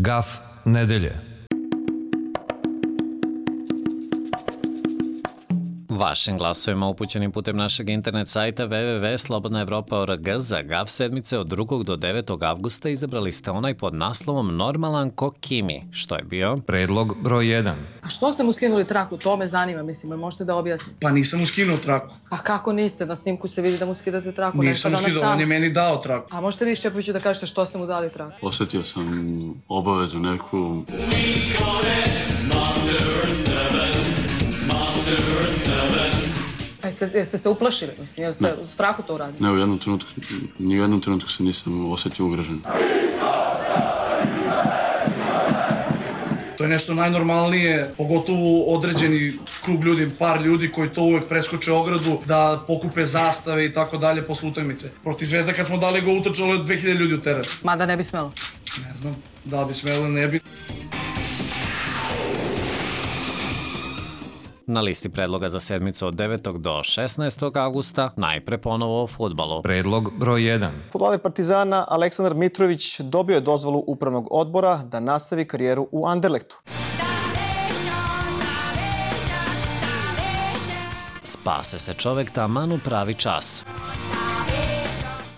Gaf nedelje. Vašim glasovima upućenim putem našeg internet sajta www.slobodnaevropa.org za GAF sedmice od 2. do 9. avgusta izabrali ste onaj pod naslovom Normalan ko Kimi. Što je bio? Predlog broj 1. A što ste mu skinuli traku? To me zanima, mislim, možete da objasnite. Pa nisam mu skinuo traku. Pa kako niste? Na snimku se vidi da mu skidate traku. Nisam mu skidao, on je meni dao traku. A možete vi Šćepoviću da kažete što ste mu dali traku? Osetio sam obavezu neku. Jeste se uplašili? Jel ste u strahu to uradili? Ne, ni u jednom trenutku se nisam osetio ugrožen. To je nešto najnormalnije, pogotovo određeni krug ljudi, par ljudi koji to uvek preskoče ogradu, da pokupe zastave i tako dalje posle utakmice. Protiv Zvezda kad smo dali go utrčalo je 2000 ljudi u teren. Mada ne bi smelo. Ne znam, da bi smelo, ne bi. Na listi predloga za sedmicu od 9. do 16. avgusta najpre ponovo o fudbalu. Predlog broj 1. Fudbaler Partizana Aleksandar Mitrović dobio je dozvolu upravnog odbora da nastavi karijeru u Anderlechtu. Spase se čovek taman u pravi čas.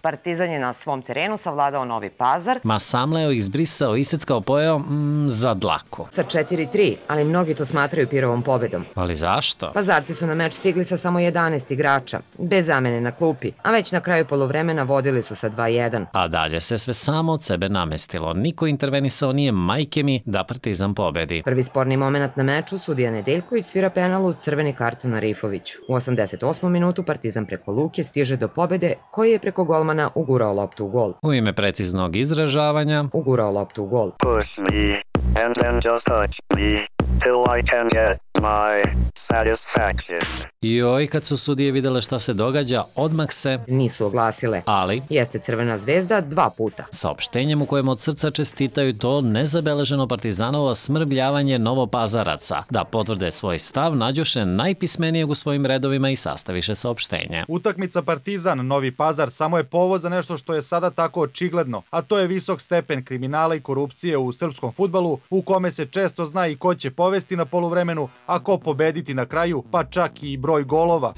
Partizan je na svom terenu savladao Novi Pazar. Ma samleo, izbrisao, iseckao, pojeo za dlaku. Sa 4-3, ali mnogi to smatraju Pirovom pobedom. Ali zašto? Pazarci su na meč stigli sa samo 11 igrača, bez zamene na klupi, a već na kraju poluvremena vodili su sa 2-1. A dalje se sve samo od sebe namestilo. Niko intervenisao nije, majke mi, da Partizan pobedi. Prvi sporni moment na meču, sudija Nedeljković svira penal uz crveni karton na Rifoviću. U 88. minutu Partizan preko Luke stiže do pobede, koji je preko golmana ugurao loptu u gol. U ime preciznog izražavanja ugurao loptu u gol. Push me and then just touch me till I can get my satisfaction. Joj, kad su sudije videle šta se događa, odmah se nisu oglasile. Ali jeste Crvena zvezda 2 puta. Saopštenjem u kojem od srca čestitaju to nezabeleženo Partizanovo smrbljavanje Novopazaraca. Da potvrde svoj stav, nađoše najpismenijeg u svojim redovima i sastaviše saopštenje. Utakmica Partizan Novi Pazar samo je povod za nešto što je sada tako očigledno, a to je visok stepen kriminala i korupcije u srpskom fudbalu, u kome se često zna i ko će povesti na poluvremenu, a ko pobediti na kraju, pa čak i broj golova.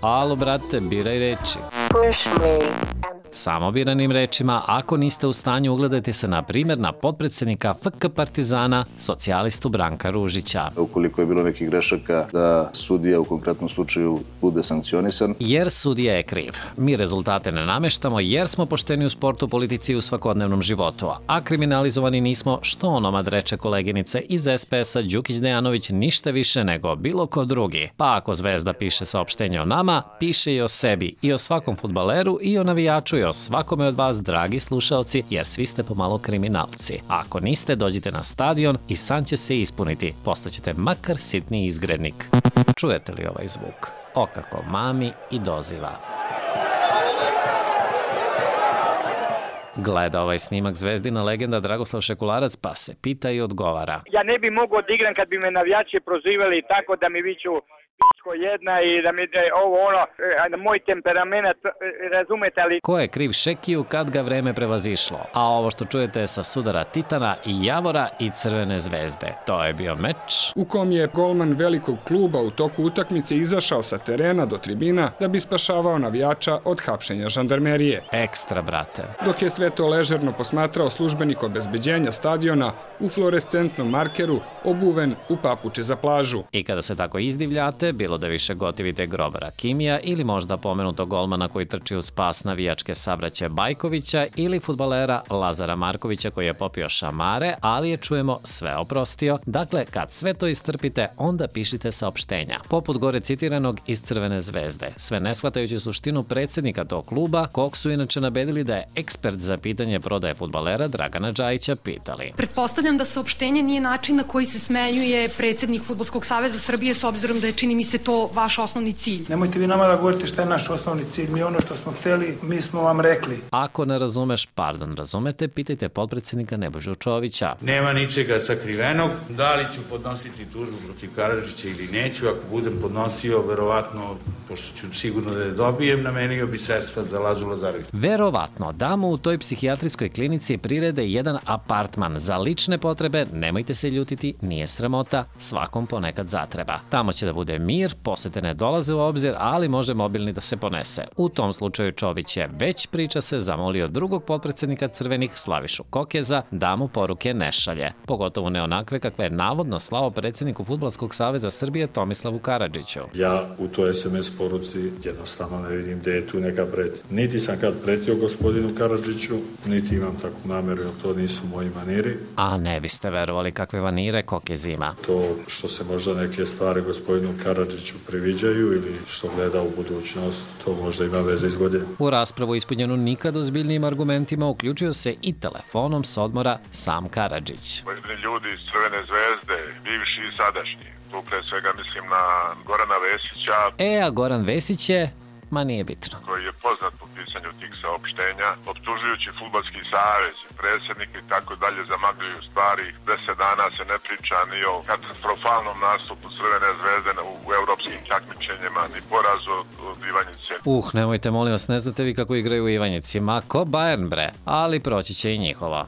Alo, brate, biraj reči. Push me. Samo biranim rečima, ako niste u stanju, ugledajte se na primjer na potpredsjednika FK Partizana, socijalistu Branka Ružića. Ukoliko je bilo nekih grešaka, da sudija u konkretnom slučaju bude sankcionisan. Jer sudija je kriv. Mi rezultate ne nameštamo jer smo pošteni u sportu, politici i u svakodnevnom životu. A kriminalizovani nismo, što onomad reče koleginice iz SPS-a Đukić Dejanović, ništa više nego bilo ko drugi. Pa ako Zvezda piše saopštenje o nama, piše i o sebi, i o svakom fudbaleru, i o navijaču, i o svakome od vas, dragi slušaoci, jer svi ste pomalo kriminalci. A ako niste, dođite na stadion i san će se ispuniti. Postaćete makar sitni izgrednik. Čujete li ovaj zvuk? O kako mami i doziva. Gleda ovaj snimak Zvezdina legenda Dragoslav Šekularac, pa se pita i odgovara. Ja ne bi mogao da igram kad bi me navijači prozivali tako da mi viču pičko jedna i da mi ovo ono, moj temperament, razumete li? Ko je kriv Šekiju kad ga vreme prevazišlo? A ovo što čujete je sa sudara Titana i Javora i Crvene zvezde. To je bio meč u kom je golman velikog kluba u toku utakmice izašao sa terena do tribina da bi spašavao navijača od hapšenja žandarmerije. Ekstra, brate. Dok je sve to ležerno posmatrao službenik obezbeđenja stadiona u fluorescentnom markeru, obuven u papuče za plažu. I kada se tako izdivljate, bilo da više gotivite grobara Kimija ili možda pomenutog golmana koji trči u spas navijačke sabraće Bajkovića ili fudbalera Lazara Markovića koji je popio šamare, ali je, čujemo, sve oprostio. Dakle, kad sve to istrpite, onda pišite saopštenja. Poput gore citiranog iz Crvene zvezde, sve ne shvatajući suštinu predsjednika tog kluba, kog su inače nabedili da je ekspert za pitanje prodaje fudbalera Dragana Džajića pitali. Pretpostavljam da saopštenje nije način na koji se smenjuje predsjednik Fudbalskog saveza Srbije, s obzirom da je, čini mi se, to vaš osnovni cilj? Nemojte vi nama da govorite šta je naš osnovni cilj. Mi ono što smo hteli, mi smo vam rekli. Ako ne razumeš, razumete, pitajte potpredsjednika Nebojšu Čovića. Nema ničega sakrivenog. Da li ću podnositi tužbu protiv Karadžića ili neću? Ako budem podnosio, verovatno, pošto ću sigurno da je dobijem, namenio bi sredstva za Lazu Lazarević. Verovatno, da mu u toj psihijatrijskoj klinici prirede jedan apartman za lične potrebe, nemojte se ljutiti, nije sramota, svakom ponekad zatreba. Tamo će da bude mir, posete ne dolaze u obzir, ali može mobilni da se ponese. U tom slučaju Čović je, već priča se, zamolio drugog potpredsjednika Crvenih, Slavišu Kokeza, da mu poruke ne šalje. Pogotovo ne onakve kakve je navodno slao predsjedniku Fudbalskog saveza Srbije Tomislavu Karadžiću. Ja u toj SMS poruci jednostavno ne vidim gde je tu neka pretnja. Niti sam kad pretio gospodinu Karadžiću, niti imam takvu nameru, jer to nisu moji maniri. A ne biste verovali kakve vanire Kokez ima. To što se možda neke stvari gospodinu Karadžiću priviđaju ili što gleda u budućnost, to možda ima veze iz godine. U raspravu ispunjenu nikad ozbiljnijim argumentima uključio se i telefonom s odmora sam Karadžić. Pojedini ljudi iz Crvene zvezde, bivši i sadašnji, tu pre svega mislim na Gorana Vesića. A Goran Vesić je, ma nije bitno, koji je poznat po pisanju tih saopštenja, optužujući Fudbalski savez, predsjednik i tako dalje, zamagljuju stvari. 10 dana se ne priča ni o katastrofalnom nastupu Crvene zvezde u evropskim takmičenjima, ni porazu od Ivanjice. Nemojte molim vas, ne znate vi kako igraju u Ivanjici, ma ko Bayern bre, ali proći će i njihova.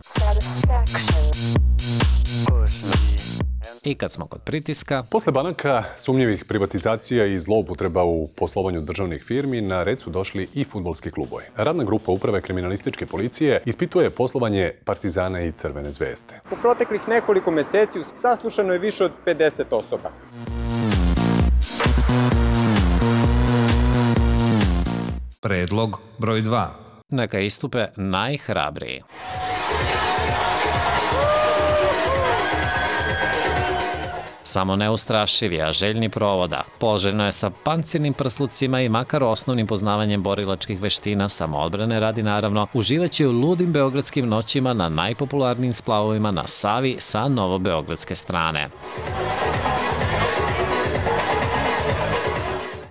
I kad smo kod pritiska... Posle banaka, sumnjivih privatizacija i zloupotreba u poslovanju državnih firmi, na red su došli i fudbalski klubovi. Radna grupa Uprave kriminalističke policije ispituje poslovanje Partizana i Crvene zvezde. U proteklih nekoliko meseci saslušano je više od 50 osoba. Predlog broj 2. Neka istupe najhrabriji. Samo neustrašivi, a željni provoda. Poželjno je sa pancirnim prslucima i makar osnovnim poznavanjem borilačkih veština, samoodbrane radi naravno, uživaće u ludim beogradskim noćima na najpopularnijim splavovima na Savi sa novobeogradske strane.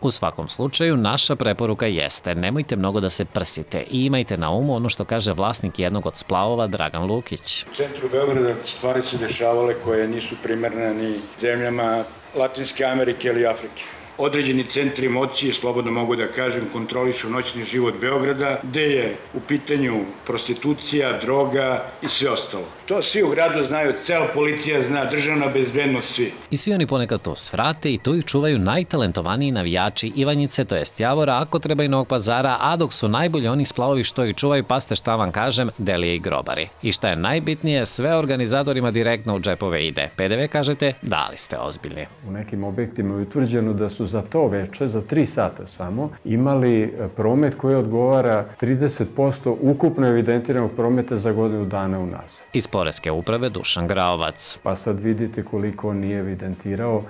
U svakom slučaju, naša preporuka jeste nemojte mnogo da se prsite i imajte na umu ono što kaže vlasnik jednog od splavova Dragan Lukić. U centru Beograda stvari su dešavale koje nisu primerne ni zemljama Latinske Amerike ili Afrike. Određeni centri moći, slobodno mogu da kažem, kontrolišu noćni život Beograda, gde je u pitanju prostitucija, droga i sve ostalo. To svi u gradu znaju, cela policija zna, državna bezbednost, svi. I svi oni ponekad to svrate i tu ih čuvaju najtalentovaniji navijači Ivanjice, to jest Javora, ako treba i Novog Pazara, a dok su najbolji oni splavovi što ih čuvaju, pa ste šta vam kažem, Delije i grobari. I šta je najbitnije, sve organizatorima direktno u džepove ide. PDV kažete, da li ste ozbiljni. U nekim objektima je utvrđeno da su za to veče, za 3 sata samo, imali promet koji odgovara 30% ukupno evidentiranog prometa za godinu dana unazad. Iz Poreske uprave Dušan Graovac. Pa sad vidite koliko on nije evidentirao.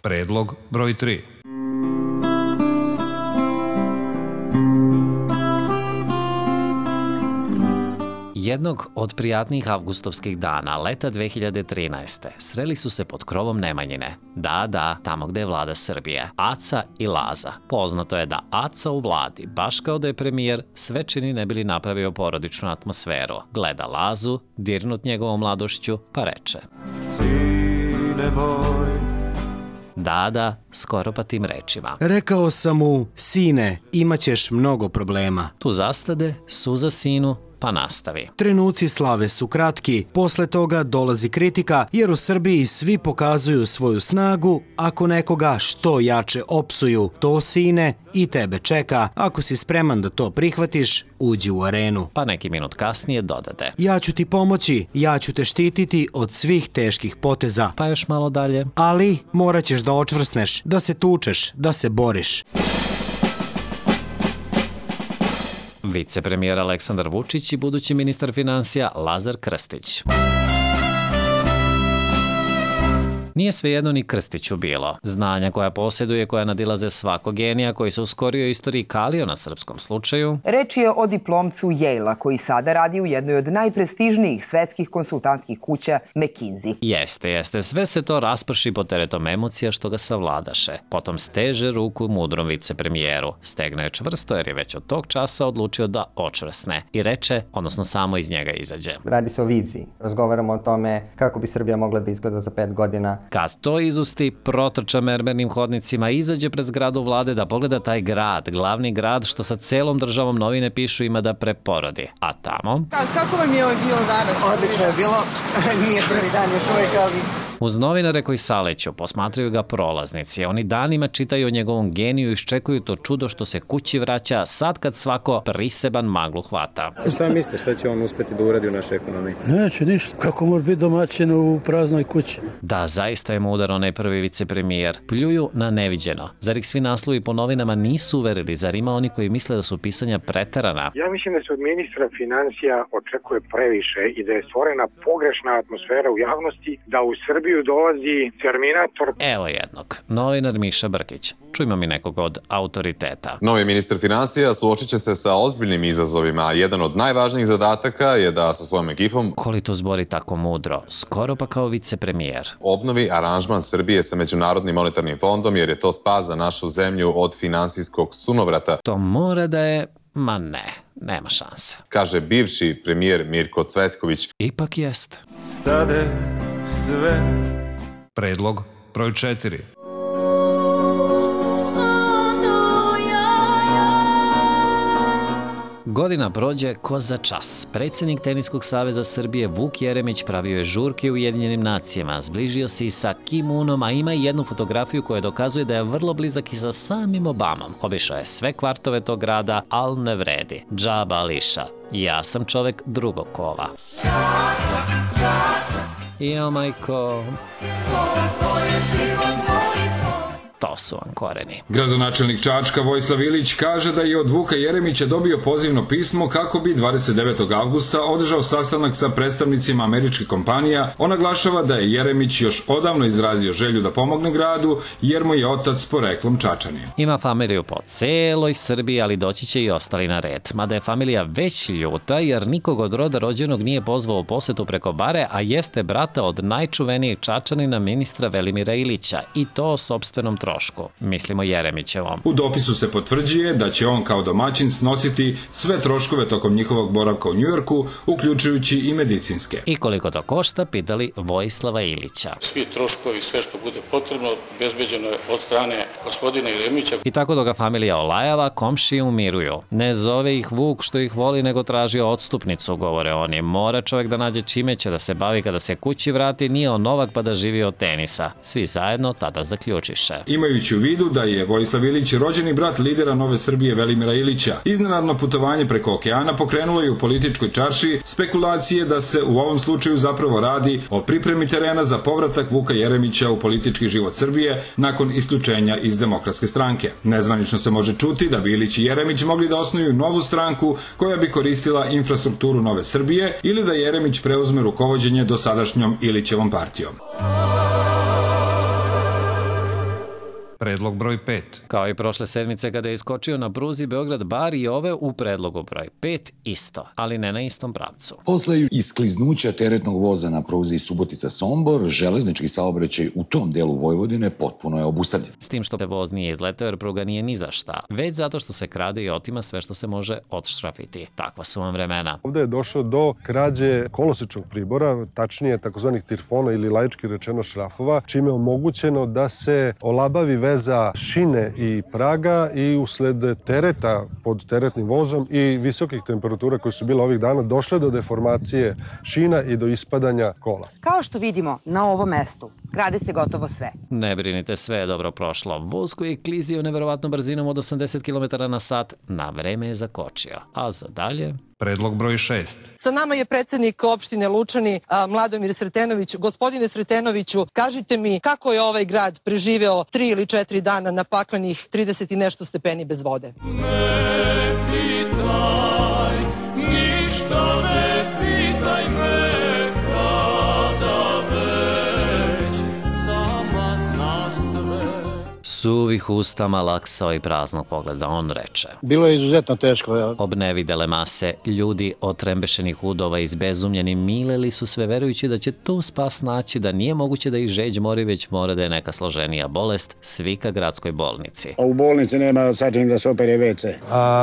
Predlog broj 3. Jednog od prijatnijih avgustovskih dana, leta 2013. sreli su se pod krovom Nemanjine. Da, tamo gde je vlada Srbije. Aca i Laza. Poznato je da Aca u vladi, baš kao da je premijer, sve čini ne bili napravio porodičnu atmosferu. Gleda Lazu, dirnut njegovom mladošću, pa reče: Sine moj. Da, skoro pa tim rečima. Rekao sam mu, sine, imaćeš mnogo problema. Tu zastade, suza sinu, pa nastavi. Trenuci slave su kratki, posle toga dolazi kritika, jer u Srbiji svi pokazuju svoju snagu, ako nekoga što jače opsuju. To, sine, i tebe čeka. Ako si spreman da to prihvatiš, uđi u arenu. Pa neki minut kasnije dodade: Ja ću ti pomoći, ja ću te štititi od svih teških poteza. Pa još malo dalje. Ali morat ćeš da očvrsneš, da se tučeš, da se boriš. Vicepremijer Aleksandar Vučić i budući ministar finansija Lazar Krstić. Nije svejedno ni Krstiću bilo. Znanja koja posjeduje, koja nadilaze svakog genija koji se u skorijoj istoriji kalio na srpskom slučaju. Reč je o diplomcu Yale-a koji sada radi u jednoj od najprestižnijih svetskih konsultantskih kuća McKinsey. Jeste. Sve se to rasprši pod teretom emocija što ga savladaše. Potom steže ruku mudrom vicepremijeru. Stegne je čvrsto jer je već od tog časa odlučio da očvrsne i reče, odnosno samo iz njega izađe. Radi se o viziji. Razgovaramo o tome kako bi Srbija mogla da izgleda za 5 godina. Kad to izusti, protrča mermernim hodnicima, izađe pred zgradu vlade da pogleda taj grad, glavni grad što sa celom državom novine pišu ima da preporodi. A tamo... Kako vam je ovo bilo danas? Odlično je bilo. Nije prvi dan još uvijek, ali... Uz novinare koji saleću, posmatraju ga prolaznici. Oni danima čitaju o njegovom geniju i iščekuju to čudo što se kući vraća sad kad svako priseban maglu hvata. Šta mislite, šta će on uspeti da uradi u našoj ekonomiji? Neće ništa. Kako može biti domaćin u praznoj kući? Da, zaista je mudar onaj prvi vicepremijer. Pljuju na neviđeno. Zar ih svi naslovi po novinama nisu uverili? Zar ima oni koji misle da su pisanja preterana? Ja mislim da se od ministra finansija očekuje previše i da je stvorena pogrešna atmosfera u javnosti da u Srbiji dolazi Terminator. Evo jednog, novinar Miša Brkić. Čujmo mi nekog od autoriteta. Novi ministar finansija suočit će se sa ozbiljnim izazovima, a jedan od najvažnijih zadataka je da sa svojom ekipom Koli to zbori tako mudro, skoro pa kao vicepremijer. Obnovi aranžman Srbije sa Međunarodnim monetarnim fondom jer je to spas za našu zemlju od finansijskog sunovrata. To mora da je... Ma ne, nema šanse. Kaže bivši premijer Mirko Cvetković. Ipak jest. Stade sve. Predlog broj 4. Godina prođe ko za čas. Predsjednik Teniskog saveza Srbije Vuk Jeremić pravio je žurke u Ujedinjenim nacijama, zbližio se i sa Kim Unom, a ima i jednu fotografiju koja dokazuje da je vrlo blizak i sa samim Obamom. Obišao je sve kvartove tog grada, al ne vredi. Džaba Ališa. Ja sam čovek drugog kova. Jo, majko... To su vam koreni. Gradonačelnik Čačka Vojislav Ilić kaže da je od Vuka Jeremića dobio pozivno pismo kako bi 29. avgusta održao sastanak sa predstavnicima američkih kompanija. On naglašava da je Jeremić još odavno izrazio želju da pomogne gradu jer mu je otac poreklom Čačanin. Ima familiju po celoj Srbiji, ali doći će i ostali na red. Mada je familija već ljuta jer nikog od roda rođenog nije pozvao u posetu preko bare, a jeste brata od najčuvenijeg Čačanina ministra Velimira Ilića i to sopstvenom trošku. Mislimo Jeremićevom. U dopisu se potvrđuje da će on kao domaćin snositi sve troškove tokom njihovog boravka u Njujorku, uključujući i medicinske. I koliko to košta, pitali Vojislava Ilića. Svi troškovi, sve što bude potrebno, bezbeđeno je od strane gospodina Jeremića. I tako dok ga familija olajava, komšije umiruju. Ne zove ih Vuk što ih voli, nego traži odstupnicu, govore oni. Mora čovjek da nađe čime će da se bavi kada se kući vrati, nije on Novak pa da živi od tenisa. Svi zajedno tada zaključiše. Imajući u vidu da je Vojislav Ilić rođeni brat lidera Nove Srbije Velimira Ilića, iznenadno putovanje preko okeana pokrenulo je u političkoj čaršiji spekulacije da se u ovom slučaju zapravo radi o pripremi terena za povratak Vuka Jeremića u politički život Srbije nakon isključenja iz Demokratske stranke. Nezvanično se može čuti da bi Ilić i Jeremić mogli da osnuju novu stranku koja bi koristila infrastrukturu Nove Srbije ili da Jeremić preuzme rukovođenje dosadašnjom Ilićevom partijom. Predlog broj 5. Kao i prošle sedmice kada je iskočio na pruzi Beograd-Bar i ove u predlogu broj 5 isto, ali ne na istom pravcu. Posle iskliznuća teretnog voza na pruzi Subotica-Sombor, železnički saobraćaj u tom delu Vojvodine potpuno je obustavljen. S tim što voz nije izletao jer pruga nije ni za šta, već zato što se krade i otima sve što se može odšrafiti. Takva su vam vremena. Ovde je došlo do krađe kolosečnog pribora, tačnije takozvanih tirfona ili laički rečeno šrafova, čime je omogućeno da se olabavi veza šine i praga i usled tereta pod teretnim vozom i visokih temperatura koje su bile ovih dana došle do deformacije šina i do ispadanja kola. Kao što vidimo na ovom mestu, gradi se gotovo sve. Ne brinite, sve je dobro prošlo. Voz koji je klizio neverovatnom brzinom od 80 km na sat na vreme je zakočio. A za dalje... Predlog broj 6. Sa nama je predsjednik opštine Lučani, Mladomir Sretenović. Gospodine Sretenoviću, kažite mi kako je ovaj grad preživeo 3 ili 4 dana na paklenih 30 i nešto stepeni bez vode? Ne pitaj, ništa ne pitaj me, kada već sam. Suvih usta, malaksao i praznog pogleda, on reče. Bilo je izuzetno teško. Obnevidele mase ljudi otrembešenih udova izbezumljeni mileli su sve verujući da će tu spas naći, da nije moguće da ih žeđ mori, već mora da je neka složenija bolest, svika gradskoj bolnici. U bolnici nema sačin da se opere WC.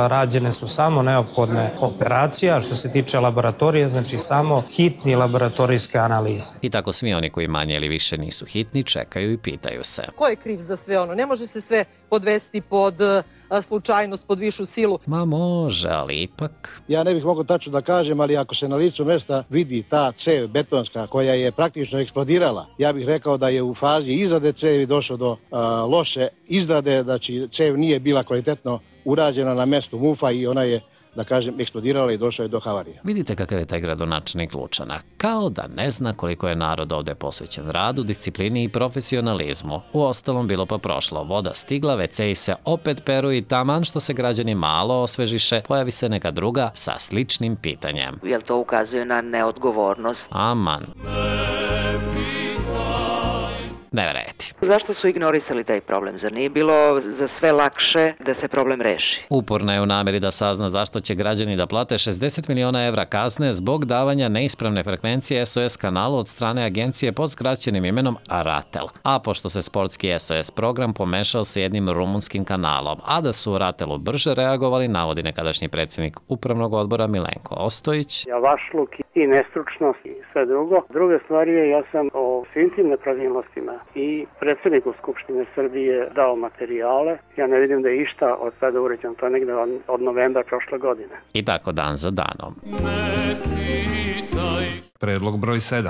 Rađene su samo neophodne operacija, što se tiče laboratorije, znači samo hitni laboratorijske analize. I tako svi oni koji manje ili više nisu hitni čekaju i pitaju se. Ko je kriv za sve ono? Ne može se sve podvesti pod slučajnost, pod višu silu. Ma može, ali ipak... Ja ne bih mogao tačno da kažem, ali ako se na licu mesta vidi ta cev betonska koja je praktično eksplodirala, ja bih rekao da je u fazi izrade cevi došlo do loše izrade, znači cev nije bila kvalitetno urađena na mestu mufa i ona je, da kažem, eksplodirala i došlo je do havarije. Vidite kakav je taj gradonačelnik Lučana. Kao da ne zna koliko je narod ovde posvećen radu, disciplini i profesionalizmu. U ostalom bilo pa prošlo. Voda stigla, WC-i se opet peru i taman što se građani malo osvežiše, pojavi se neka druga sa sličnim pitanjem. Jel to ukazuje na neodgovornost? Aman. Ne verujete. Zašto su ignorisali taj problem? Zar nije bilo za sve lakše da se problem reši? Uporna je u nameri da sazna zašto će građani da plate 60 miliona evra kazne zbog davanja neispravne frekvencije SOS kanalu od strane agencije pod skraćenim imenom Ratel. A pošto se sportski SOS program pomešao sa jednim rumunskim kanalom, a da su u Ratelu brže reagovali, navodi nekadašnji predsjednik upravnog odbora Milenko Ostojić. Javašluk i nestručnost i sve drugo. Druga stvar je, ja sam o svim tim nepravilnostima i predsjedniku Skupštine Srbije dao materijale. Ja ne vidim da je išta od sada uređeno. To je negde od novembra prošle godine. I tako dan za danom. Predlog broj 7.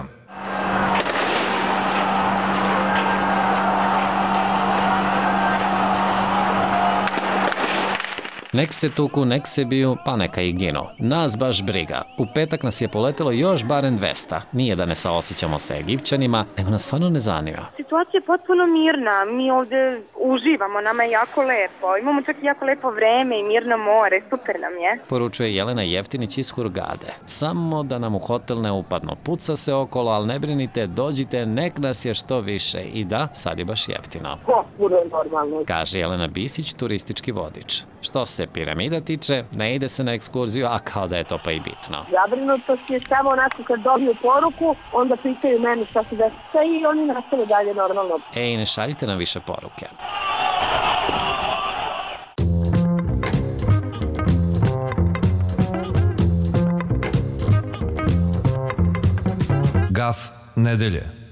Nek se tuku, nek se biju, pa neka i ginu. Nas baš briga. U petak nas je poletelo još barem 200. Nije da ne saosjećamo sa Egipćanima, nego nas stvarno ne zanima. Situacija je potpuno mirna. Mi ovde uživamo, nama je jako lepo. Imamo čak i jako lepo vreme i mirno more, super nam je. Poručuje Jelena Jeftinić iz Hurgade. Samo da nam u hotel ne upadno. Puca se okolo, ali ne brinite, dođite, nek nas je što više. I da, sad je baš jeftino. Potpuno normalno. Kaže Jelena Bisić, turistički vodič. Što se piramida tiče, ne ide se na ekskurziju, a kao da je to pa i bitno. Zabrinutost je samo onako kad dobiju poruku, onda pitaju meni šta se desa i oni nastave dalje normalno. Ej, ne šaljite nam više poruke. Gaf nedelje.